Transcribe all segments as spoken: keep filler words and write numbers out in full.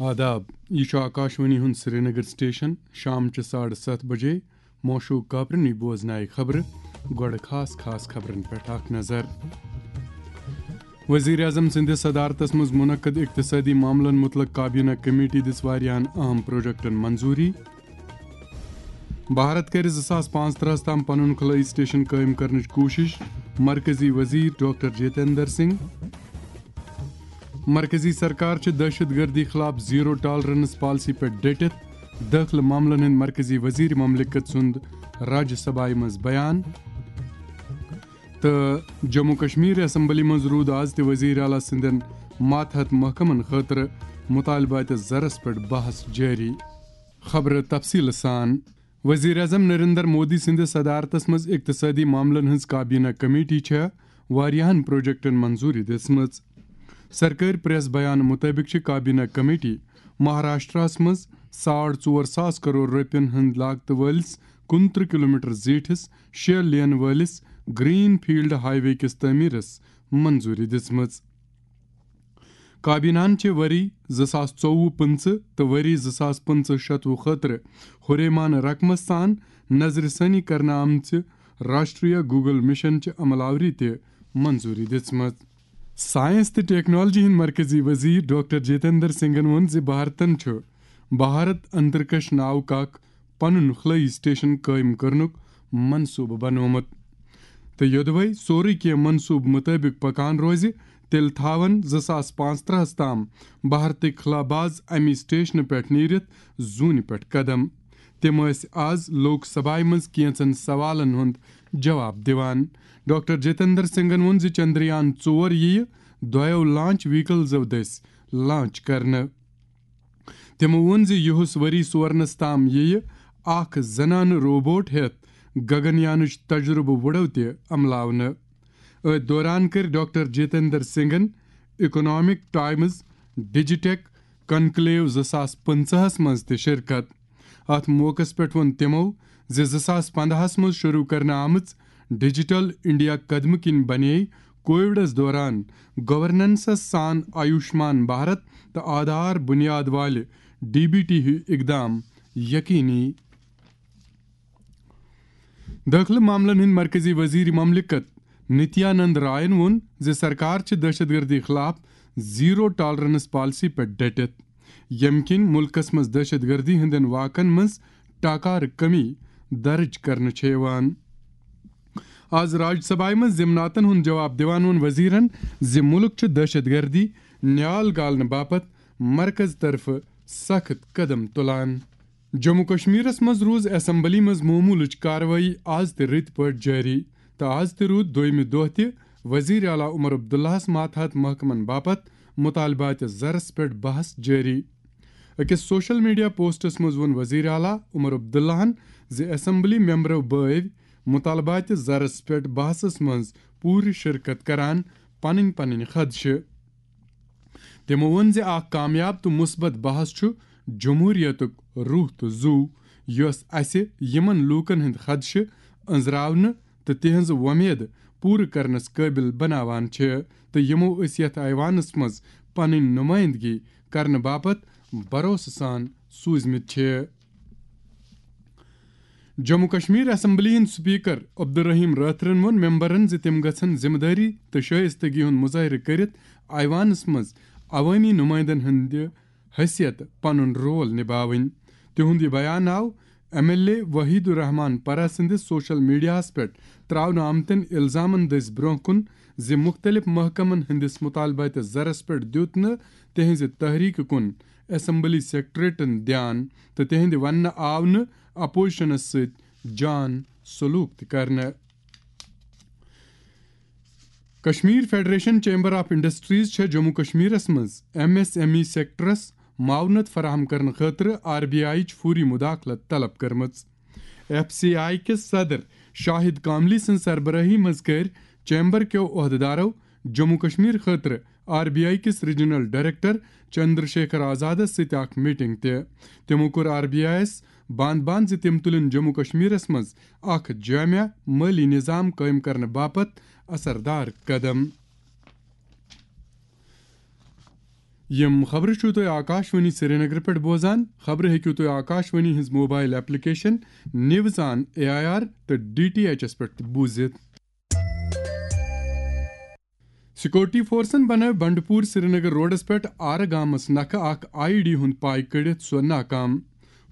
آداب، یہِ چھُ آکاشوانی ہُنٛد سرینگر سٹیشن۔ شام چہِ ساڑٕ ستھ بجے موشوٗک کاپرنٕے بوزنایہِ خبرٕ۔ گۄڈٕ خاص خاص خبرن پٮ۪ٹھ اکھ نظر۔ وزیر اعظم سٕنٛدِس صدارتس منٛز منعقد اقتصٲدی معاملن متعلق کابینہ کمیٹی دِژ واریاہن اہم پروجیکٹن منظوٗری۔ بھارت کرِ زٕ ساس پانٛژترٕہس تام پنُن خلٲیی سٹیشن قٲیِم کرنٕچ کوٗشش، مرکزی وزیر ڈاکٹر جتیندر سنگھ۔ مرکزی سرکار چھِ دہشت گردی خلاف زیرو ٹالرنس پالیسی پٮ۪ٹھ ڈٔٹِتھ، دٲخلہٕ معاملن ہٕنٛدۍ مرکزی وزیر مملکت سُنٛد راجیہ سبھایہ منٛز بیان۔ تہٕ جموں کشمیر اسمبلی منٛز روٗد آز تہِ وزیر اعلیٰ سٕنٛدٮ۪ن ماتحت محکمن خٲطرٕ مطالبات زرس پٮ۪ٹھ بحث جٲری۔ خبرٕ تفصیٖلہٕ سان۔ وزیر اعظم نریندر مودی سٕنٛدِس صدارتس منٛز اقتصٲدی معاملن ہٕنٛز کابینہ کمیٹی چھےٚ واریاہن پروجیکٹن منظوٗری دِژمٕژ۔ سرکٲرۍ پریس بیان مُطٲبِق چھِ کابینہ کمیٹی مہاراشٹراہس منٛز ساڑ ژور ساس کرور رۄپین ہٕنٛدۍ لاگتہٕ وٲلِس کُنترٕہ کلومیٹر زیٖٹھِس شےٚ لین وٲلِس گرین فیلڈ ہائی وے کِس تعمیٖرس منظوٗری دِژمٕژ۔ کابینہن چھِ ؤری زٕ ساس ژوٚوُہ پٕنٛژٕہ تہٕ ؤری زٕ ساس پٕنٛژٕہ شَتوُہ خٲطرٕ ہُریمانہٕ رقمس سان نظرِ ثٲنی کرنہٕ آمژِ راشٹریہ گوگل مشن چہِ عمل آوری تہِ منظوٗری دِژمٕژ۔ ساینس تہٕ ٹیکنالوجی ہٕنٛدۍ مرکزی وزیر ڈاکٹر جتیندر سنگھن ووٚن زِ بھارتن چھُ بھارت انترکش ناوُک اکھ پنُن خلٲیی سٹیشن قٲیِم کرنُک منصوٗبہٕ بنوومُت تہٕ یوٚدوَے سورُے کینٛہہ منصوٗبہٕ مُطٲبِق پکان روزِ، تیٚلہِ تھاون زٕ ساس پانٛژترٕہس تام بھارتٕکۍ خلاباز اَمی سٹیشنہٕ پٮ۪ٹھ نیٖرِتھ زوٗنہِ پٮ۪ٹھ قدم۔ تِم ٲسۍ آز لوک سبھایہِ منٛز کینٛژن سوالن ہُنٛد جواب دِوان۔ ڈاکٹر جتیندر سنگھن ووٚن زِ چندریان ژور یِیہِ دۄیو لانچ ویکلزو دٔسۍ لانچ کرنہٕ۔ تِمو ووٚن زِ یُہُس ؤری سورنس تام یِیہِ اکھ زنانہٕ روبوٹ ہٮ۪تھ گگنیانٕچ تجرُبہٕ وُڈو تہِ عملاونہٕ۔ أتھۍ دوران کٔرۍ ڈاکٹر جتیندر سنگھن اکنامک ٹائمز ڈیجیٹیک کنکلیو زٕ ساس پٕنٛژٕہس منٛز تہِ شرکت۔ اتھ موقعس پٮ۪ٹھ ووٚن تِمو زِ زٕ ساس پندہس منٛز شروع کرنہٕ آمٕژ ڈیجیٹل انڈیا قدمہٕ کِنۍ بنے کووڈس دوران گورننسس سان آیوشمان بھارت تہٕ آدھار بنیاد والہِ ڈی بی ٹی ہیوۍ اقدام یقینی۔ دٲخلہٕ معاملن ہٕنٛدۍ مرکزی وزیر مملکت نتیانند رائن ووٚن زِ سرکار چھِ دہشت گردی خلاف زیرو ٹالرنس پالیسی پٮ۪ٹھ ڈٔٹِتھ، ییٚمہِ کِنۍ مُلکس منٛز دہشت گردی ہٕنٛدٮ۪ن واقعن منٛز ٹاکارٕ کمی درٕج کرنہٕ چھےٚ یِوان۔ آز راج سبھایہ منٛز ضمناتن ہُنٛد جواب دِوان ووٚن وزیرن زِ مُلک چھُ دہشت گردی نیال گالنہٕ باپتھ مرکز طرفہٕ سخت قدم تُلان۔ جموں کشمیرس منٛز روٗز اسمبلی منٛز معموٗلٕچ کاروٲیی آز تہِ رٕتۍ پٲٹھۍ جٲری تہٕ آز تہِ روٗد دوٚیمہِ دۄہ تہِ وزیر اعلیٰ عمر عبداللہس ماتحت محکمن باپتھ مطالبات زرس پٮ۪ٹھ بحث جٲری۔ أکِس سوشل میڈیا پوسٹس منٛز ووٚن وزیر اعلیٰ عمر عبداللہن زِ اسمبلی ممبرو بٲوۍ مطالبات زرس پٮ۪ٹھ بحثس منٛز پوٗرٕ شرکت کران پنٕنۍ پنٕنۍ خدشہٕ۔ تِمو ووٚن زِ اکھ کامیاب تہٕ مثبت بحث چھُ جمہوریتُک روح تہٕ زُو، یۄس اسہِ یِمن لوٗکن ہٕنٛدۍ خدشہٕ أنٛزراونہٕ تہٕ تِہنٛز وۄمید پوٗرٕ کرنس قٲبِل بناوان چھِ تہٕ یِمو أسۍ یتھ ایوانس منٛز پنٕنۍ نُمٲیندگی کرنہٕ باپتھ بھروسہٕ سان سوٗزمٕتۍ چھِ۔ جموں کشمیر اسمبلی ہٕنٛدۍ سپیکر عبدالرحیم رٲتھرن ووٚن ممبرن زِ تِم گژھن ذمہٕ دٲری تہٕ شائستگی ہُنٛد مظٲہرٕ کٔرِتھ ایوانس منٛز عوٲمی نُمٲیندن ہٕنٛدِ حیثیت پنُن رول نباوٕنۍ۔ تِہُنٛد یہِ بیان آو ایم ایل اے وحید الرحمان پرہ سٕنٛدِس سوشل میڈیاہَس پٮ۪ٹھ ترٛاونہٕ آمتٮ۪ن الزامن دٔسۍ برٛونٛہہ کُن زِ مُختٔلِف محکمن ہٕنٛدِس مُطالباتِ زرس پٮ۪ٹھ دیُت نہٕ تِہنٛزِ تحریٖکہِ کُن اسمبلی سیکرٹریٹن دیان تہٕ تِہنٛدِ وننہٕ آو نہٕ اپوزیشنس سۭتۍ جان سلوک تہِ کرنہٕ۔ Kashmir federation chamber of industries چھےٚ جموں کشمیرس منٛز ایم ایس ایم ای سیکٹرس معاونت فراہم کرنہٕ خٲطرٕ آر بی آئی یٕچ فوری مداخلت طلب کٔرمٕژ۔ ایف سی آئی کِس صدر شاہد کاملی سٕنٛز سربرٲہی منٛز کٔرۍ چیمبر کیو عہدٕدارو جموں کشمیر خٲطرٕ آر بی آئی کِس ریجنل ڈائریکٹر چندر شیکھر آزادس سۭتۍ اکھ میٹنگ تہِ۔ تِمو کوٚر آر بی آئی یَس بند بند زِ تِم تُلن جموں کشمیرس منٛز اکھ جامع مٲلی نظام قٲیِم کرنہٕ باپتھ اثردار قدم۔ یِم خبرٕ چھِو تُہۍ آکاشوانی سرینگرٕ پٮ۪ٹھ بوزان۔ خبرٕ ہیٚکِو تُہۍ آکاشوانی ہٕنٛز mobile application news on A I R تہٕ ڈی ٹی ایچ ایس پٮ۪ٹھ تہِ بوٗزِتھ۔ سیکورٹی فورسن بنٲو بنڈپور سرینگر روڈس پٮ۪ٹھ آرٕ گامس نکھٕ اکھ آئی ڈی ہُنٛد پاے کٔڑِتھ سۄ ناکام۔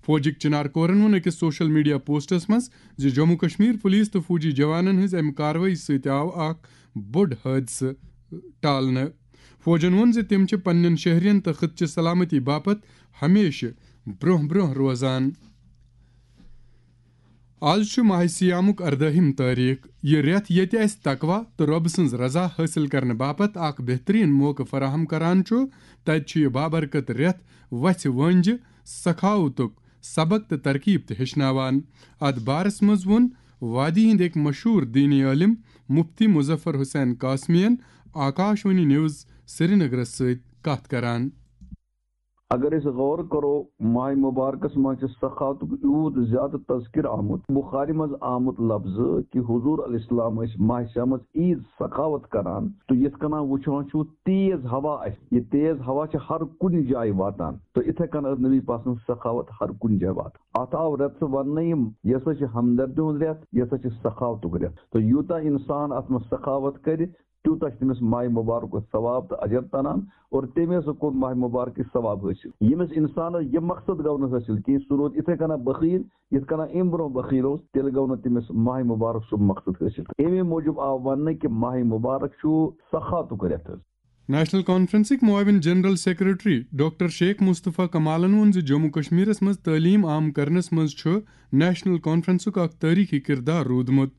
فوجٕکۍ چنار کورن ووٚن أکِس سوشل میڈیا پوسٹس منٛز زِ جموں کشمیر پولیس تہٕ فوجی جوانن ہٕنٛز امہِ کاروٲیی سۭتۍ آو اکھ بوٚڑ حٲدثہٕ ٹالنہٕ۔ فوجن ووٚن زِ تِم چھِ پننٮ۪ن شہرین تہٕ خٕطچہِ سلامتی باپتھ ہمیشہٕ برونٛہہ برونٛہہ روزان۔ آز چھُ ماہِ صیامُک اردٲہِم تٲریخ۔ یہِ رٮ۪تھ ییٚتہِ اَسہِ تقوی تہٕ رۄب سٕنٛز رضا حٲصِل کرنہٕ باپتھ اکھ بہتریٖن موقعہٕ فراہم کران چھُ، تَتہِ چھُ یہِ بابرکت رٮ۪تھ وژھِ وٲنٛجہِ، سخاوتُک سبق تہٕ ترکیب تہِ ہیٚچھناوان۔ اَتھ بارس منٛز ووٚن وادی ہٕنٛدۍ أکۍ مشہوٗر دینی عٲلِم مفتی مظفر حسین قاسمی یَن آکاشوانی نیوز سرینگرس سۭتۍ کتھ کران۔ اگر أسۍ غور کرو، ماہِ مبارکس منٛز چھِ سخاوتُک یوٗت زیادٕ تذکر آمُت، بخاری منٛز آمُت لفظ کہِ حضور علیہ السلام ٲسۍ ماہِ صیامس عیٖد سخاوت کران۔ تہٕ یِتھ کٔنۍ وٕچھان چھُو، تیز ہوا آسہِ، یہِ تیز ہوا چھِ ہر کُنہِ جایہِ واتان۔ تہٕ یِتھے کٔنۍ ٲس نبی پاک سٕنٛز سخاوت ہر کُنہِ جایہِ واتان۔ اتھ آو رٮ۪تہٕ سُہ وننہٕ، یِم، یہِ ہسا چھِ ہمدردی ہُنٛد رٮ۪تھ، یہِ ہسا چھِ سخاوتُک رٮ۪تھ۔ تہٕ یوٗتاہ انسان اتھ منٛز سخاوت کرِ، تیوٗتاہ چھُ تٔمِس ماہِ مبارکُک ثواب تہٕ اجر تران۔ اور تٔمۍ ہسا کوٚر ماہِ مبارکٕچ ثواب حٲصِل۔ ییٚمِس انسانس یہِ مقصد گوٚو نہٕ حٲصِل کینٛہہ، سُہ روٗد یِتھے کٔنۍ بخیل، یِتھ کٔنۍ امہِ برونٛہہ بخیل اوس، تیٚلہِ گوٚو نہٕ تٔمِس ماہِ مبارک سُہ مقصد حٲصِل۔ اَمے موٗجوٗب آو وننہٕ کہِ ماہِ مبارک چھُ سخاوتُک رٮ۪تھ حظ۔ نیشنل کانفرنسٕکۍ معاون جنرل سیکرٹری ڈاکٹر شیخ مصطفیٰ کمالن ووٚن زِ جموں کشمیرس منٛز تعلیٖم عام کرنس منٛز چھُ نیشنل کانفرنسُک اکھ تٲریخی کردار روٗدمُت۔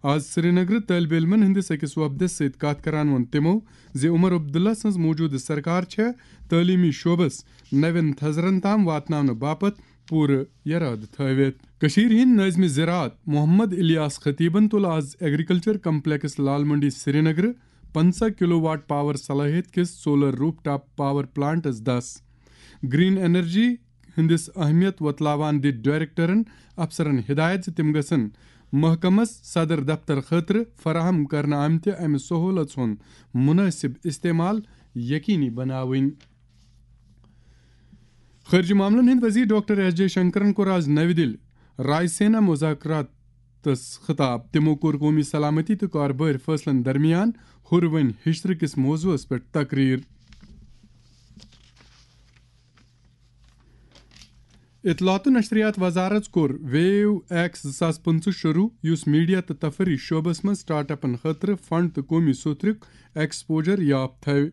آز سرینگرٕ طٲلبہِ علمن ہٕنٛدِس أکِس وفدس سۭتۍ کتھ کران ووٚن تِمو زِ عمر عبداللہ سٕنٛز موٗجوٗدٕ سرکار چھےٚ تعلیٖمی شعبس نوٮ۪ن تھزرن تام واتناونہٕ باپتھ پوٗرٕ یرادٕ تھٲوِتھ۔ کٔشیٖرِ ہٕنٛدۍ نٲظمِ زِراعت محمد الیاس خطیبن تُل آز ایگریکلچر کمپلیکس لال منڈی سرینگرٕ پنٛژاہ کلو واٹ پاور صلٲحیت کِس سولر روپ ٹاپ پاور پلانٹس دس۔ گرین انرجی ہٕنٛدِس اہمیت وۄتلاوان دِتھ ڈائریکٹرن افسرن ہدایت زِ تِم گژھن محکمس صدر دفتر خٲطرٕ فراہم کرنہٕ آمتہِ امہِ سہولژ ہُنٛد مناسب استعمال یقینی بناوٕنۍ۔ خارجہ معاملن ہٕنٛدۍ وزیر ڈاکٹر ایس جے شنکرن کوٚر آز نَوِ دِلہِ رائے سینا مذاکراتس خطاب۔ تِمو کوٚر قومی سلامتی تہٕ کاربٲرۍ فٲصلن درمیان ہُروٕنۍ ہِشرٕ کِس موضوعس پٮ۪ٹھ تقریر۔ اطلاعات و نشریات وزارت کوٚر ویو ایکس زٕ ساس پٕنٛژٕہ شروع، یُس میڈیا تہٕ تفریح شعبس منٛز سٹارٹ اپن خٲطرٕ فنڈ تہٕ قومی سوتھرُک ایکسپوجر یاپ تھاوِ۔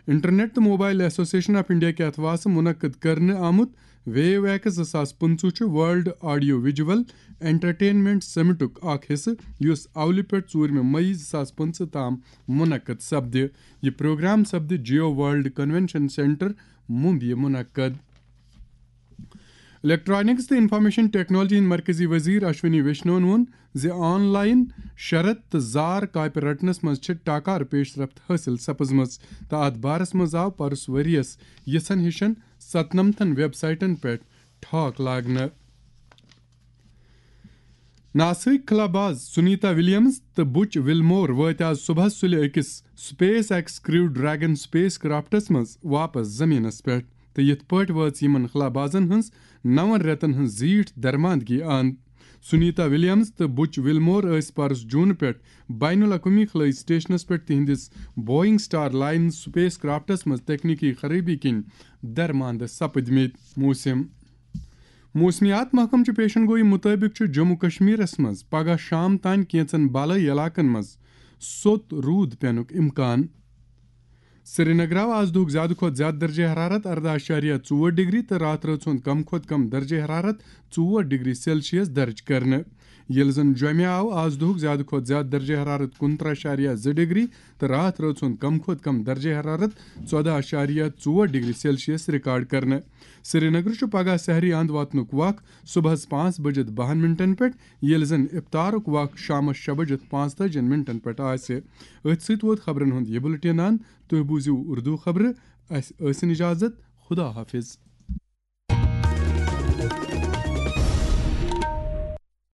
انٹرنیٹ تہٕ موبائل ایسوسیشن آف انڈیا کہِ اتھواسہٕ منعقد کرنہٕ آمُت ویو ایکس زٕ ساس پٕنٛژٕہ چھُ ورلڈ آڈیو ویجول انٹرٹینمنٹ سمٹُک اکھ حصہٕ، یُس اولہِ پٮ۪ٹھ ژوٗرمہِ مئی زٕ ساس پٕنٛژٕہ تام منعقد سپدِ۔ یہِ پروگرام سپدِ جیو ورلڈ کنونشن سینٹر، ممبیہِ منعقد۔ الیکٹرانکس تہٕ انفارمیشن ٹیکنالوجی ہٕنٛدۍ مرکزی وزیر اشونی ویشنون ووٚن زِ آن لائن شرط تہٕ زار کاپہِ رٹنس منٛز چھِ ٹاکار پیش رفت حٲصِل سپٕزمٕژ تہٕ اتھ بارس منٛز آو پرُس ؤریَس یِژھن ہِشن ستنمتن ویب سائٹن پٮ۪ٹھ ٹھاک لاگنہٕ۔ ناسٕکۍ خلاباز سنیتا ولیمز تہٕ بُچ ولمور وٲتۍ آز صبحس سُلہِ أکِس سپیس ایکس کریو ڈریگن سپیس کرافٹس منٛز واپس زمینس پٮ۪ٹھ، تہٕ یِتھ پٲٹھۍ وٲژ یِمن خلابازن ہٕنٛز نَوَن رٮ۪تن ہٕنٛز زیٖٹھ درماندگی اند۔ سنیتا ولیمز تہٕ بُچ ولمور ٲسۍ پرُس جون پٮ۪ٹھ بین الاقوٲمی خلٲئی سٹیشنس پٮ۪ٹھ تِہنٛدِس Boeing star line space crafts منٛز تکنیکی خرٲبی کِنۍ درماندٕ سپٕدمٕتۍ۔ موسم۔ موسمیات محکمہٕ چہِ پیشن گوئی مُطٲبِق چھُ جموں کشمیرس منٛز پگہہ شام تام کینٛژن بالٲیی علاقن منٛز سوٚت روٗد پینُک امکان۔ سرینگر آو آز دُہُک زیادٕ کھۄتہٕ زیادٕ درجہ حرارت ارداہ اعشاریہ ژور ڈگری تہٕ راتھ رٲژ ہُنٛد کم کھۄتہٕ کم درجہ حرارت ژور ڈگری سیلسیس درج کرنہٕ۔ ییٚلہِ زن جوٚمہِ آو آز دُہُک زیادٕ کھۄتہٕ زیادٕ درجہ حرارت کُنترٕہ اعشاریہ زٕ ڈگری تہٕ راتھ رٲژ ہُنٛد کم کھۄتہٕ کم درجہ حرارت ژۄداہ اعشاریہ ژور ڈگری سیلسیس ریکارڈ کرنہٕ۔ سرینگر چھُ پگہہ سحری اند واتنُک وق صبحس پانٛژھ بجِتھ بَہَن منٹن پٮ۪ٹھ، ییٚلہِ زن افطارُک وق شامس شےٚ بجِتھ پانٛژتٲجِن منٹن پٮ۪ٹھ آسہِ۔ أتھۍ سۭتۍ ووت خبرن ہُنٛد یہِ بُلٹن اند۔ تُہۍ بوٗزِو اردو خبرٕ۔ اسہِ ٲسِن اجازت۔ خدا حافظ۔